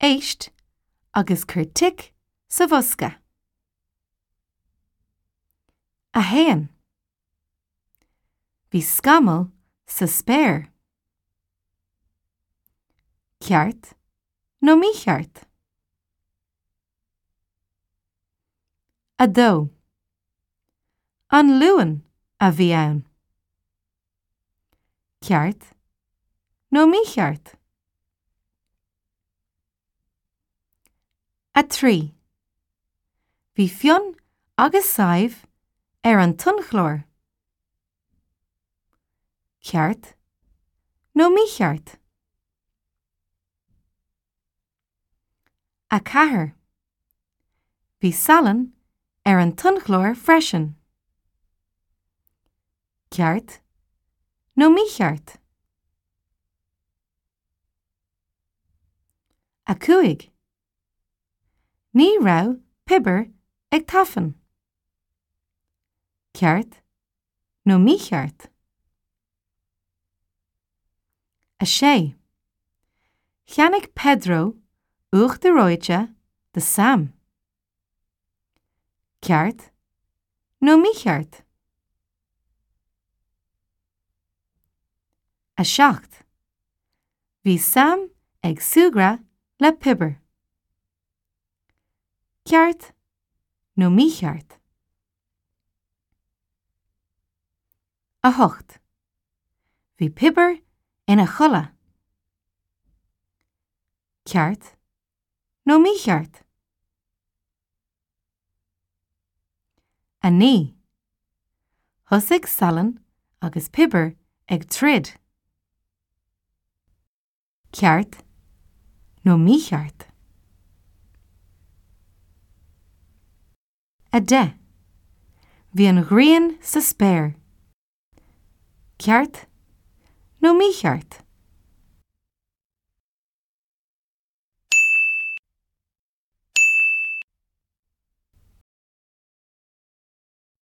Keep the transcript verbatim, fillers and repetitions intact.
Éist agus cuir tic sa bhosca. A haon. Bhí scamall sa spéir. Ceart nó mícheart? A dó. An Luan a bhí ann. Ceart nó mícheart? A trí. Bhí Fionn agus Sadhbh ar an tonnchlár. Ceart nó mícheart? A ceathair. Bhí salann ar an tonnchlár freisin. Ceart nó mícheart? A cúig. Ní raibh piobar ag tafann. Ceart nó mícheart? A sé. Cheannaigh Pedro uachtar reoite do Sam. Ceart nó mícheart? A seacht. Bhí Sam ag súgradh le piobar. Ceart nó mícheart? A hocht. Bhí piobar ina chodladh. Ceart nó mícheart? A naoi. Thosaigh salann agus piobar ag troid. Ceart nó mícheart? A deich. Bhí an ghrian sa spéir. Ceart nó mícheart?